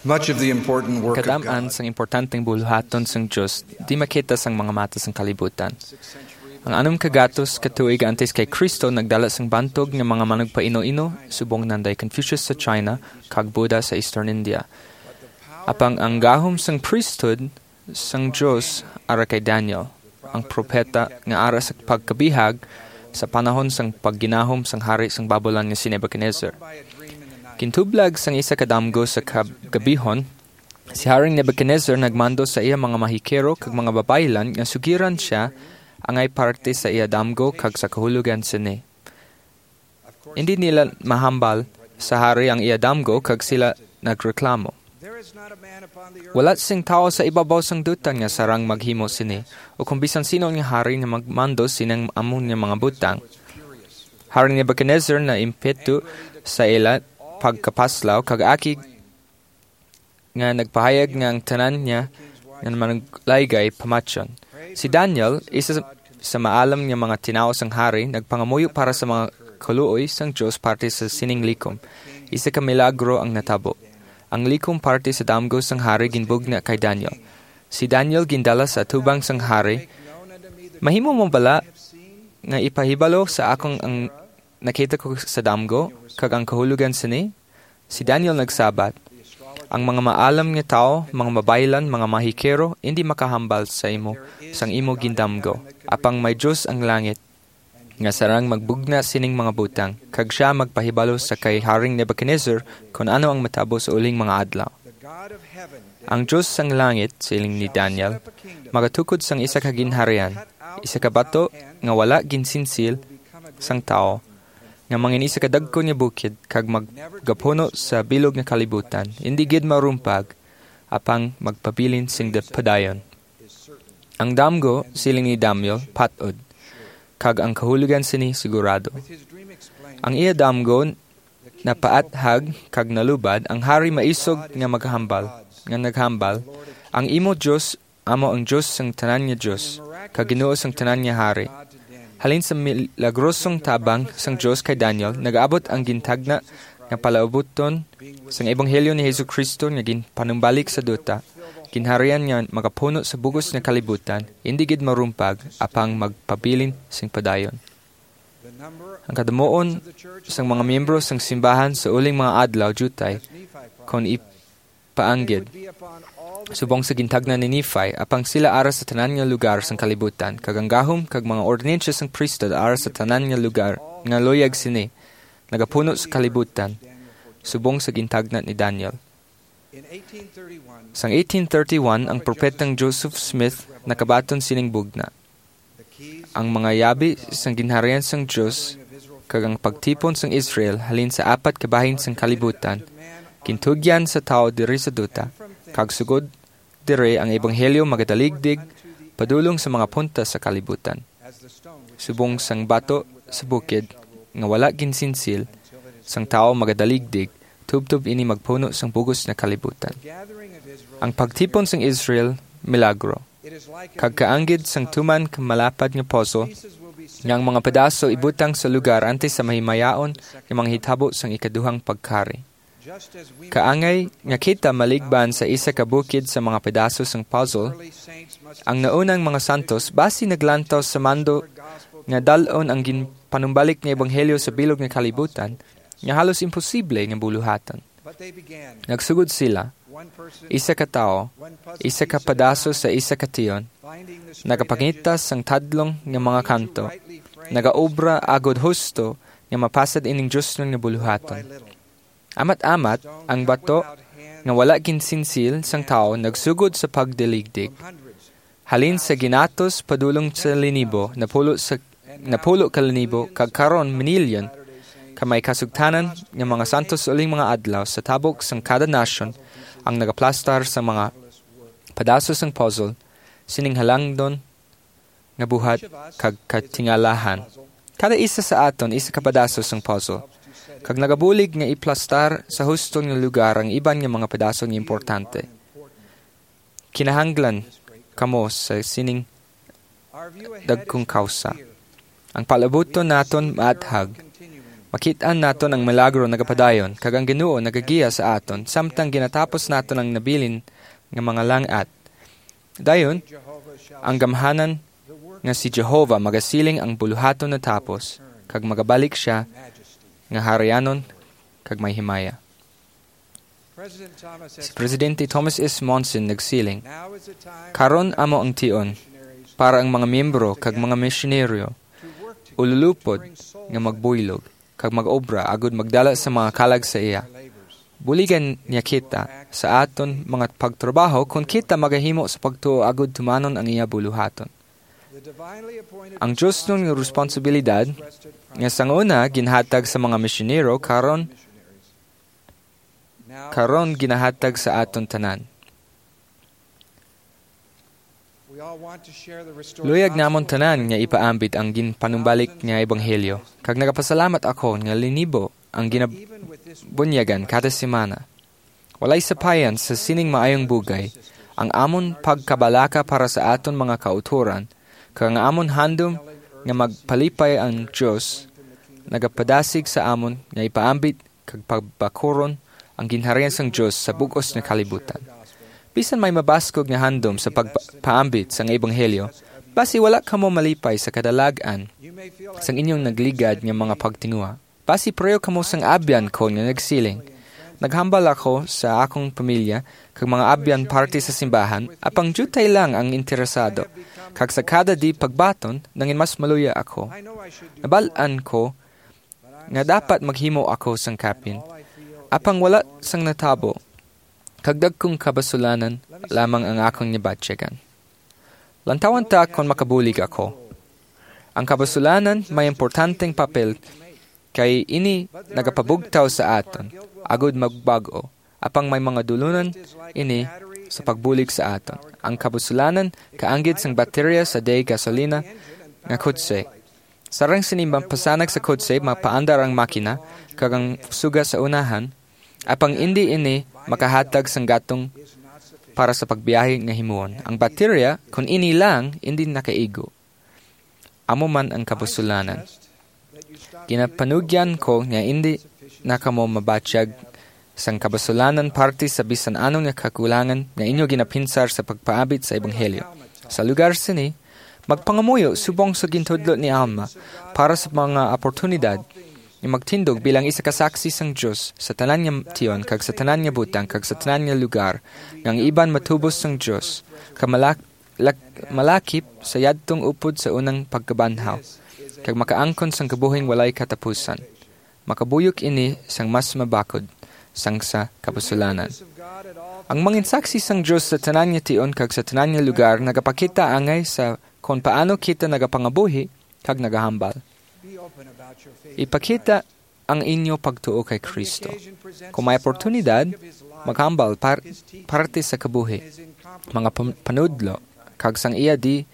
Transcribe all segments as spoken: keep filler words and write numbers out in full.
Much of the important work of Kadam-an God sang importanteng buluhaton sang Dios di makita sang mga mata sang kalibutan. Ang anum ka gatos ka tuig antes kay Kristo nagdala sang bantog nga mga manugpaino-ino subong nanday Confucius sa China kag Buddha sa Eastern India. Apang ang gahom sang priesthood sang Dios ara kay Daniel, ang propeta nga ara sa pagkabihag sa panahon sang pagginahom sang hari sang Babulon nga si Nebuchadnezzar. Gintublag sang isa ka damgo sa kab-, gabihon, si Haring Nebuchadnezzar nagmando sa iya mga mahikero kag mga babaylan nga sugiran sia angay parte sa iya damgo kag sa kahulogan sini. Indi nila mahambal sa hari ang iya damgo kag sila nagreklamo. Wala sing tawo sa ibabaw sang dutan nga sarang maghimo sini, o kon bisan sino nga hari nga magmando sining amo nga mga butang. Hari Nebuchadnezzar naimpeto sa ila pagkapaslaw kag akig nga nagpahayag nga ang tanan niya nga manuglaygay pamatyon. Si Daniel, isa sa maalam nga mga tinawo sang hari, nagpangamuyo para sa mga kaluoy sang Dios parte sa sining likom. Isa ka milagro ang natabo. Ang likom parte sa damgo sang hari ginbugna kay Daniel. Si Daniel gindala sa atubang sang hari. "Mahimo mo bala nga ipahibalo sa akon ang nakita ko sa damgo kag ang kahulogan sini?" Si Daniel nagsabat, "Ang mga maalam nga tawo, mga mabaylan, mga mahikero, indi makahambal sa imo sang imo gindamgo. Apang may Dios ang langit, nga sarang magbugna sining mga butang, kag sia magpahibalo sa kay Haring Nebuchadnezzar kon ano ang matabo sa uling mga adlaw." "Ang Dios sang langit," siling ni Daniel, "magatukod sang isa ka ginharian, isa ka bato nga wala ginsinsil sang tawo, nga mangin isa ka dagko nga bukid kag magapuno sa bilog nga kalibutan, indi gid marumpag, apang magpabilin sing da-, padayon." Ang damgo, siling ni Daniel, pat-od, kag ang kahulogan sini sigurado. Ang iya damgo napaathag kag nalubad, ang hari maisog nga maghambal, nga naghambal, "Ang imo Dios amo ang Dios sang tanan nga Dios, kag Ginoo sang tanan nga hari." Halin sa milagrosong tabang sang Dios kay Daniel, nag-abot ang gintagna nga palaabuton sang ebanghelyo ni Jesu-Cristo nga ginpanumbalik sa duta, ginharian nga magapuno sa bug-os nga kalibutan, indi gid marumpag, apang magpabilin sing padayon. Ang kadamuon sang mga miyembro sang simbahan sa uling mga adlaw diutay kon ipaanggid, subong sa gintagna ni Nephi, apang sila ara sa tanan nga lugar sang kalibutan, kag ang gahom kag mga ordinansa sang priesthood ara sa tanan nga lugar nga luyag sini nagapuno sa kalibutan, subong sa gintagna ni Daniel. Sang eighteen thirty-one, ang propetang Joseph Smith nakabaton sining bugna. Ang mga yabi sang ginharian sang Dios kag ang pagtipon sang Israel halin sa apat ka bahin sang kalibutan gintugyan sa tawo diri sa duta, kag sugod diri ang ebanghelyo magadaligdig padulong sa mga punta sa kalibutan. Subong sang bato sa bukid nga wala ginsinsil sang tawo magadaligdig, tubtob ini magpuno sang bug-os nga kalibutan. Ang pagtipon sang Israel, milagro. Kag kaanggid sang tuman ka malapad nga puzzle, nga ang mga pedaso ibutang sa lugar antes sa mahimayaon nga mga hitabo sang ikaduhang pagkari. Kaangay nga kita maligban sa isa ka bukid sa mga pedaso sang puzzle, ang naunang mga santos basi naglantaw sa mando nga dal-on ang ginpanumbalik nga ebanghelyo sa bilog nga kalibutan nga halos imposible nga buluhaton. Nagsugod sila, isa ka tawo, isa ka pedaso sa isa ka tion, nagapangita sang tadlong nga mga kanto, nagaobra agod husto nga mapasad ining diosnon nga buluhaton. Amat-amat, ang bato nga wala ginsinsil sang tawo nagsugod sa pagdaligdig. Halin sa ginatos padulong sa linibo, napulo sa, napulo ka linibo, kag karon minilyon ka may kasugtanan nga mga santos sa uling mga adlaw sa tabok sang kada nasyon ang nagaplastar sa mga padaso sang puzzle sining halangdon nga buhat kag katingalahan. Kada isa sa aton isa ka padaso sang puzzle, kag nagabulig nga iplastar sa huston nga lugar ang iban nga mga padaso nga importante. Kinahanglan kamo sa sining dagkong kawsa. Ang palabuton naton maathag. Kit-an naton ang milagro nagapadayon, kag ang Ginoo nagagiya sa aton, samtang ginatapos naton ang nabilin nga mga lang-at. Dayon, ang gamhanan nga si Jehovah magasiling ang buluhaton natapos, kag magabalik sia nga harianon kag may himaya. Si Presidente Thomas S. Monson nagsiling, "Karon amo ang tion para ang mga miyembro kag mga misyonaryo ululupod nga magbuylog kag mag-obra agud magdala sa mga kalag sa iya. Buligan niya kita sa aton mga pagtrabaho kon kita magahimo sa pagtuo agud tumanon ang iya buluhaton." Ang Dios nun nga responsibilidad nga sang una ginhatag sa mga misyonero, karon karon ginahatag sa aton tanan. Luyag namon tanan nga ipaambit ang ginpanumbalik nga ebanghelyo, kag nagapasalamat ako nga linibo ang ginabunyagan kada semana. Walay sapayan sa sining maayong bugay ang amon pagkabalaka para sa aton mga kautoran, kag ang amon handom nga magpalipay ang Dios nagapadasig sa amon nga ipaambit kag pagbakuron ang ginharian sang Dios sa bug-os nga kalibutan. Bisan may mabaskog nga handom sa pagpaambit sang ebanghelyo, basi wala kamo malipay sa kadalag-an sang inyong nagligad nga mga pagtinguha. Basi pareho kamo sang abyan ko nga nagsiling, "Naghambal ako sa akong pamilya kag mga abyan parte sa simbahan, apang diutay lang ang interesado, kag sa kada di pagbaton, nangin mas maluya ako. Nabal-an ko nga dapat maghimo ako sang kapin, apang wala sang natabo, kag dagkong kabasulanan lamang ang akong nabatyagan." Lantawan ta kon makabulig ako. Ang kabasulanan may importanteng papel, kay ini nagapabugtaw sa aton agud magbag-o, apang may mga dulunan ini sa pagbulig sa aton. Ang kabasulanan kaanggid sang baterya sa day gasolina nga kotse. Sarang sini mapasanag sa kotse, mapaandar ang makina kag ang suga sa unahan, apang indi ini makahatag sang gatong para sa pagbiyahe nga himuon. Ang baterya, kon ini lang, indi nakaigo. Amo man ang kabasulanan. Ginapanugyan ko nga indi na kamo mabatyag sang kabasulanan parte sa bisan ano nga kakulangan nga inyo ginapinsar sa pagpaabit sa ebanghelyo. Sa lugar sini, magpangamuyo subong sa gintudlo ni Alma para sa mga oportunidad nga magtindog bilang isa ka saksi sang Dios sa tanan nga tion kag sa tanan nga butang kag sa tanan nga lugar, nga ang iban matubos sang Dios, kag malak-, lak-, malakip sa yadtong upod sa unang pagkabanhaw, kag makaangkon sang kabuhing walay katapusan, makabuyok ini sang mas mabakod sang sa kabasulanan. Ang mangin saksi sang Dios sa tanan nga tion kag sa tanan nga lugar nagapakita angay sa kon paano kita nagapangabuhi kag nagahambal. Ipakita ang inyo pagtuo kay Kristo. Kung may oportunidad, maghambal par-, parte sa kabuhi, mga pam-, panudlo, kag sang iya di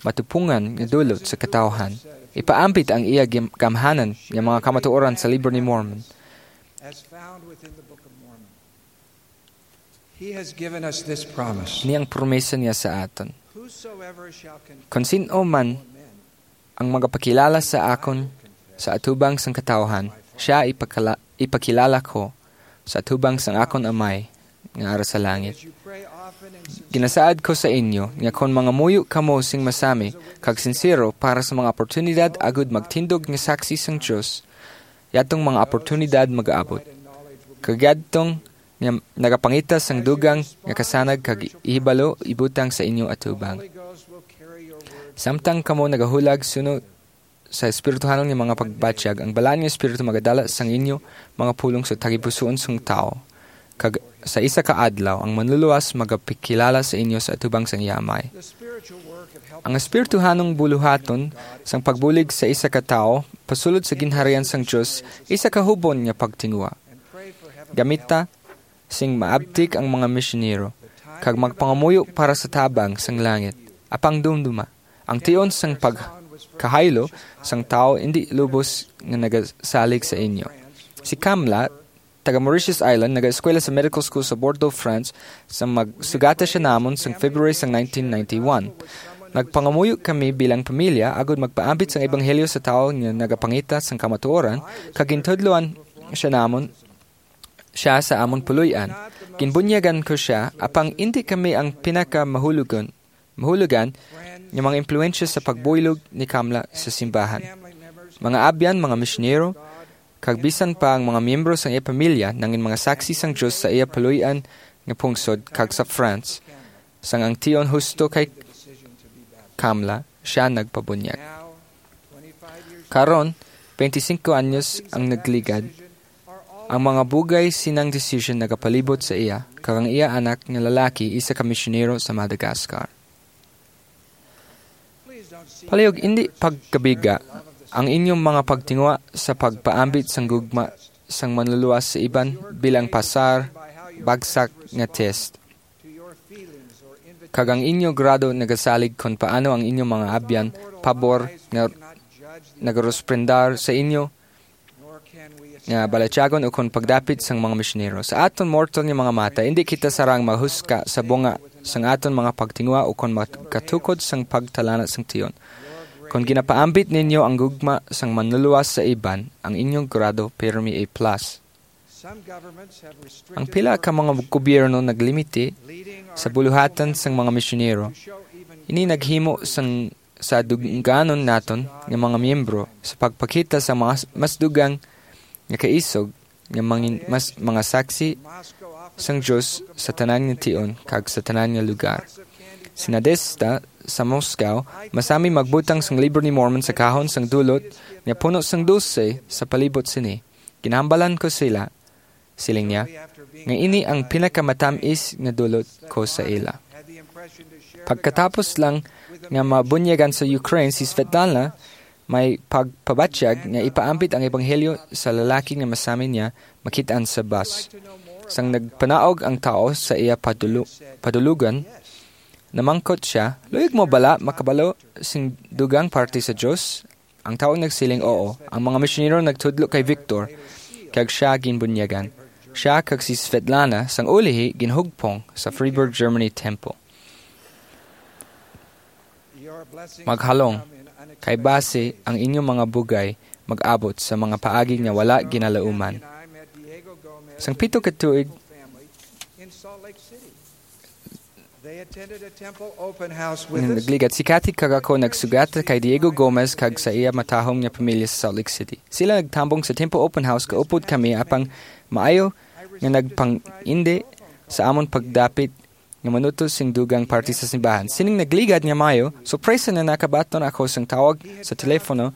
matupungan nga dulot sa katawhan. Ipaambit ang iya gim-, gamhanan nga mga kamatuoran sa Libro ni Mormon. He has given us this promise. Ini ang promesa niya sa aton. Whosoever shall con- Kon sin-o man ang magapakilala sa akon sa atubang sang katawhan, siya ipakala-, ipakilala ko sa atubang sang akon Amay nga ara sa langit. Ginasaad ko sa inyo nga kon mangamuyo kamo sing masami kag sinsero para sa mga oportunidad agud magtindog nga saksi sang Dios, yadtong mga oportunidad mag-abot. Kag yadtong nga nagapangita sang dugang nga kasanag kag ihibalo ibutang sa inyo atubang. Samtang kamo nagahulag suno sa espirituhanon nga mga pagbatyag, ang Balaan nga Espiritu magadala sang inyo mga pulong sa tagipusoon sang tawo, kag sa isa ka adlaw ang Manluluwas magapakilala sa inyo sa atubang sang iya Amay. Ang espirituhanong buluhaton sang pagbulig sa isa ka tawo pasulod sa ginharian sang Dios isa ka hubon nga pagtinguha. Gamita sing maabtik ang mga misyonero, kag magpangamuyo para sa tabang sang langit. Apang dumduma, ang tion sang pagkahaylo sang tawo indi lubos nga nagasalig sa inyo. Si Kamla, taga Mauritius Island, nagaeskwela sa medical school sa Bordeaux, France, sa magsugata siya namon sang February sang nineteen ninety-one. Nagpangamuyo kami bilang pamilya agud magpaambit sang ebanghelyo sa tawo nga nagapangita sang kamatuoran, kag gintudloan siya namon, siya sa amon puloy-an. Ginbunyagan ko sia, apang indi kami ang pinakamahulogon, mahulugan nga mga impluwensya sa pagbuylog ni Kamla sa simbahan. Mga abyan, mga misyonero, kag bisan pa ang mga miyembro sang iya pamilya nangin mga saksi sang Dios sa iya puloy-an nga pungsod kag sa France, sang ang tion husto kay Kamla, siya nagpabunyag. Karon, twenty-cinco anyos ang nagligad, ang mga bugay sinang desisyon nagapalibot sa iya, kag ang iya anak nga lalaki isa ka misyonero sa Madagascar. Palihog, indi pagkabiga ang inyong mga pagtinguha sa pagpaambit sang gugma sang manluluwas sa iban bilang pasar, bagsak nga test. Kag ang inyo grado nagasalig kon paano ang inyong mga abyan pabor nga nagarusprendar sa inyo nga balatyagon ukon pagdapit sang mga misyonero. Sa aton mortal nga mga mata, indi kita sarang mahuska sa bunga sang aton mga pagtinguha ukon makatukod sang pagtalana sang tion. Kon ginapaambit ninyo ang gugma sang manluluwas sa iban, ang inyong grado pirmi A plus. Ang pila ka mga gobyerno naglimiti sa buluhatan sang mga misyonero. Ini naghimo sang sa dungganon naton nga mga miyembro sa pagpakita sa mga mas dugang nga kaisog nga mangin-, mas, mga saksi sang Dios sa tanan nga tion kag sa tanan nga lugar. Si Nadesta sa Moscow, masami magbutang sang Libro ni Mormon sa kahon sang dulot nga puno sang dulse sa palibot sini. Ginahambalan ko sila, siling niya, nga ini ang pinakamatamis nga dulot ko sa ila. Pagkatapos lang nga mabunyagan sa Ukraine si Svetlana, may pagpabatyag nga ipaambit ang ebanghelyo sa lalaki nga masami niya makit-an sa bus. Sang nagpanaog ang tao sa iya padulu-, padulugan, namangkot siya, "Luyag mo bala makabalo sing dugang parte sa Dios?" Ang tawo nagsiling, "Oo." Ang mga misyonero nagtudlo kay Victor, kag sia ginbunyagan. Sia kag si Svetlana, sang ulihi, ginhugpong sa Freiburg Germany Temple. Maghalong, kay basi ang inyong mga bugay mag-abot sa mga paagi nga wala ginalauman. Sang pito ka tuig, They attended a temple open house with us. Nagligad si Kathy kag ako nagsugat kay Diego Gomez kag sa iya matahom nga pamilya sa Salt Lake City. Sila nagtambong sa Temple Open House, kaupod kami, apang maayo nga nagpangindi sa amon pagdapit nga manuto sing dugang parte sa simbahan. Sining nagligad nga maayo, sorpresa na nakabaton ako sang tawag sa telepono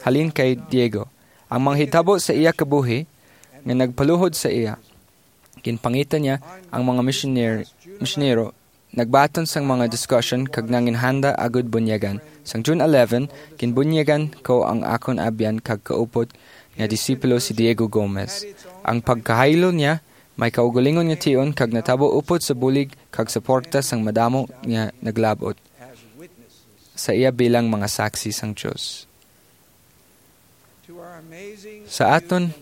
halin kay Diego. Ang mga hitabo sa iya kabuhi nga nagpaluhod sa iya. Ginpangita niya ang mga misyoner-, misyonero, nagbaton sang mga diskusyon kag nanginhanda agud bunyagan. Sang June eleven, ginbunyagan ko ang akon abyan kag kaupod nga disipulo si Diego Gomez. Ang pagkahaylo niya may kaugalingon nga tion kag natabo upod sa bulig kag suporta sang madamo nga naglab-ot sa iya bilang mga saksi sang Dios. Sa aton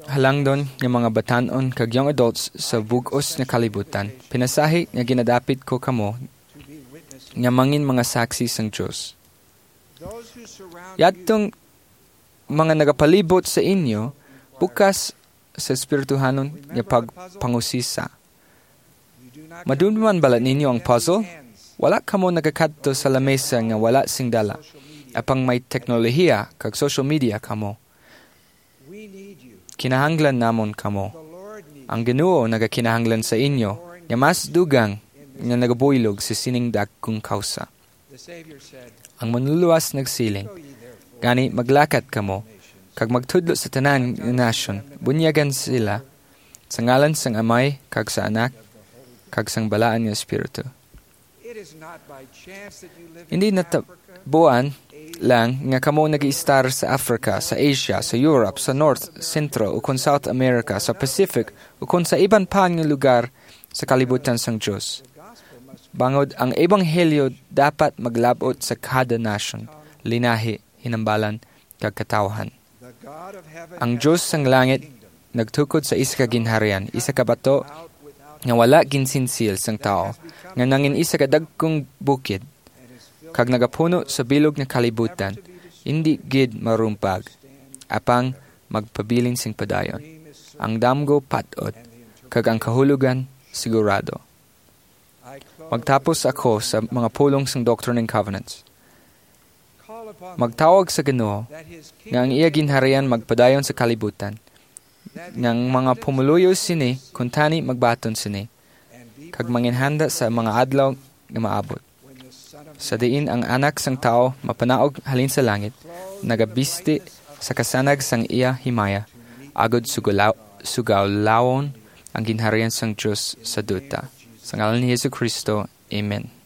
halangdon nga mga batan-on kag young adults sa bug-os nga kalibutan, pinasahi nga ginadapit ko kamo nga mangin mga saksi sang Dios. Yadtong mga nagapalibot sa inyo, bukas sa espirituhanon nga pagpangusisa. Madumduman bala ninyo ang puzzle? Wala kamo nagakadto sa lamesa nga wala sing dala, apang may teknolohiya kag social media kamo. Kinahanglan namon kamo. Ang Ginoo nagakinahanglan sa inyo nga mas dugang nga nagabuylog sa sining dagkong kawsa. Ang Manluluwas nagsiling, "Gani, maglakat kamo, kag magtudlo sa tanan nga nasyon, bunyagan sila sa ngalan sang Amay, kag sa Anak, kag sang Balaan nga Espiritu." Hindi natabuan lang nga kamo nag-iistar sa Africa, sa Asia, sa Europe, sa North, Central, ukon South America, sa Pacific, ukon sa iban pa nga lugar sa kalibutan sang Dios. Bangod ang ebanghelyo dapat maglab-ot sa kada nasyon, linahi, hinambalan, kag katawhan. Ang Dios sang langit nagtukod sa isa ka ginharian, isa ka bato nga wala ginsinsil sang tawo, nga nangin isa ka dagkong bukid, kag nagapuno sa bilog nga kalibutan, indi gid marumpag, apang magpabilin sing padayon. Ang damgo pat-od, kag ang kahulogan sigurado. Magtapos ako sa mga pulong sang Doctrine and Covenants. Magtawag sa Ginoo nga ang iya ginharian magpadayon sa kalibutan, nga ang mga pumuluyo sini kuntani magbaton sini, kag manginhanda sa mga adlaw nga maabot, sa diin ang Anak sang Tawo mapanaog halin sa langit, nagabisti sa kasanag sang iya himaya, agod sugalaw- sugawlawon ang ginharian sang Dios sa duta. Sa ngalan ni Jesu-Cristo, amen.